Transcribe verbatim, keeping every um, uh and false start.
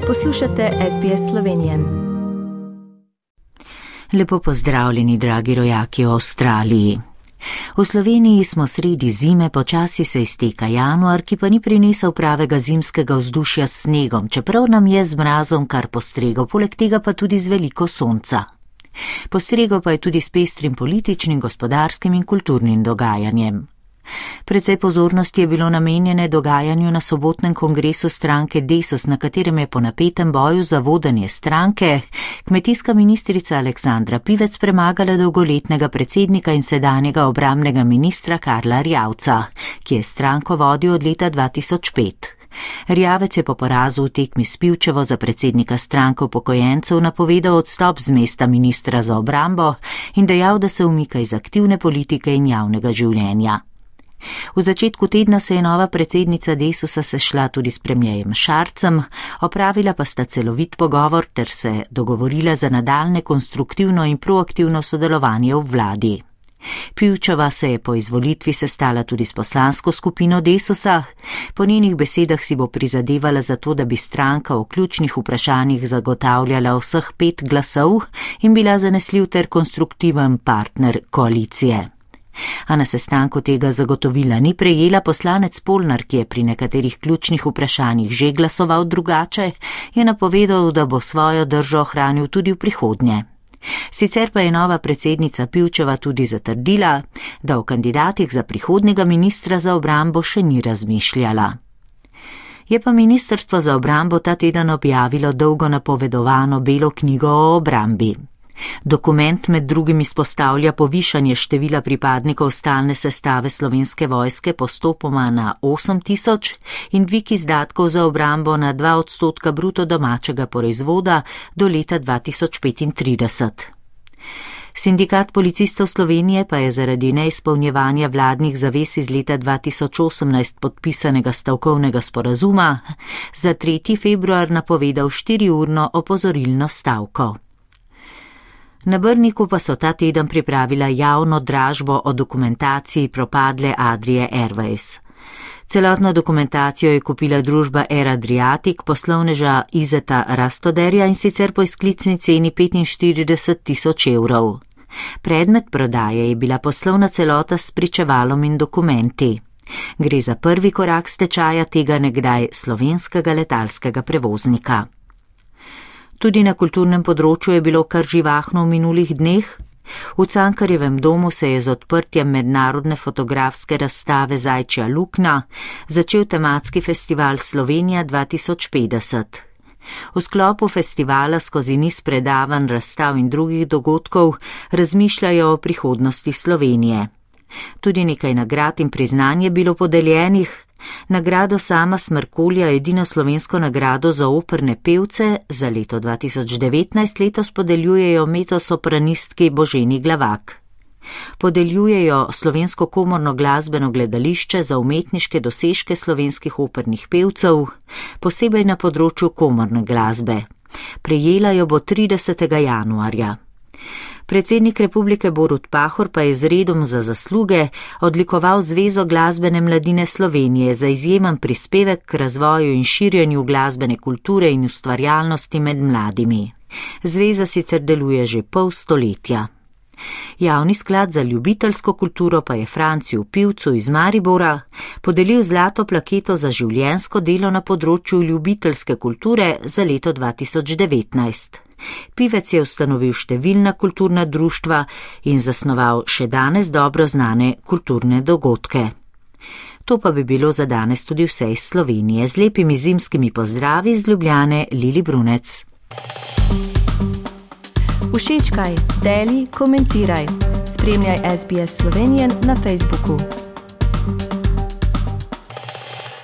Poslušate S B S Slovenije. Lepo pozdravljeni, dragi rojaki v Avstraliji. V Sloveniji smo sredi zime, počasi se izteka januar, ki pa ni prinesel pravega zimskega vzdušja s snegom, čeprav nam je z mrazom kar postregel, poleg tega pa tudi z veliko sonca. Postregel pa je tudi s pestrim političnim, gospodarskim in kulturnim dogajanjem. Precej pozornosti je bilo namenjene dogajanju na sobotnem kongresu stranke Desus, na katerem je po napetem boju za vodenje stranke kmetijska ministrica Aleksandra Pivec premagala dolgoletnega predsednika in sedanjega obrambnega ministra Karla Erjavca, ki je stranko vodil od leta dva tisoč pet. Erjavec je po porazu v tekmi s Pivčevo za predsednika stranke upokojencev napovedal odstop z mesta ministra za obrambo in dejal, da se umika iz aktivne politike in javnega življenja. V začetku tedna se je nova predsednica Desusa sešla tudi s premierjem Šarcem, opravila pa sta celovit pogovor ter se dogovorila za nadaljne konstruktivno in proaktivno sodelovanje v vladi. Pivčeva se je po izvolitvi sestala tudi s poslansko skupino Desusa. Po njenih besedah si bo prizadevala za to, da bi stranka v ključnih vprašanjih zagotavljala vseh pet glasov in bila zanesljiv ter konstruktiven partner koalicije. A na sestanku tega zagotovila ni prejela. Poslanec Polnar, ki je pri nekaterih ključnih vprašanjih že glasoval drugače, je napovedal, da bo svojo držo ohranil tudi v prihodnje. Sicer pa je nova predsednica Pivčeva tudi zatrdila, da o kandidatih za prihodnjega ministra za obrambo še ni razmišljala. Je pa ministrstvo za obrambo ta teden objavilo dolgo napovedovano belo knjigo o obrambi. Dokument med drugim izpostavlja povišanje števila pripadnikov stalne sestave Slovenske vojske postopoma na osem tisoč in dvig izdatkov za obrambo na dva odstotka bruto domačega proizvoda do leta dva tisoč petintrideset. Sindikat policistov Slovenije pa je zaradi neizpolnjevanja vladnih zavez iz leta dva tisoč osemnajst podpisanega stavkovnega sporazuma za tretji februar napovedal štiriurno opozorilno stavko. Na Brniku pa so ta teden pripravila javno dražbo o dokumentaciji propadle Adrie Airways. Celotno dokumentacijo je kupila družba Air Adriatic, poslovneža Izeta Rastoderja, in sicer po izklicni ceni petinštirideset tisoč evrov. Predmet prodaje je bila poslovna celota s spričevalom in dokumenti. Gre za prvi korak stečaja tega nekdaj slovenskega letalskega prevoznika. Tudi na kulturnem področju je bilo kar živahno v minulih dneh. V Cankarjevem domu se je z odprtjem mednarodne fotografske razstave Zajčja luknja začel tematski festival Slovenija dva tisoč petdeset. V sklopu festivala skozi niz predavanj, razstav in drugih dogodkov razmišljajo o prihodnosti Slovenije. Tudi nekaj nagrad in priznanj je bilo podeljenih. Nagrado Sama Smrkolja, edino slovensko nagrado za operne pevce, za leto dva tisoč devetnajst letos podeljujejo mezzosopranistki Boženi Glavak. Podeljujejo Slovensko komorno glasbeno gledališče za umetniške dosežke slovenskih opernih pevcev, posebej na področju komorne glasbe. Prejela jo bo tridesetega januarja. Predsednik republike Borut Pahor pa je z redom za zasluge odlikoval Zvezo glasbene mladine Slovenije za izjemen prispevek k razvoju in širjenju glasbene kulture in ustvarjalnosti med mladimi. Zveza sicer deluje že pol stoletja. Javni sklad za ljubiteljsko kulturo pa je Franciju Pivcu iz Maribora podelil zlato plaketo za življenjsko delo na področju ljubiteljske kulture za leto dva tisoč devetnajst. Pivec je ustanovil številna kulturna društva in zasnoval še danes dobro znane kulturne dogodke. To pa bi bilo za danes tudi vse iz Slovenije. Z lepimi zimskimi pozdravi iz Ljubljane, Lili Brunec. Všečkaj, deli, komentiraj. Spremljaj S B S Slovenije na Facebooku.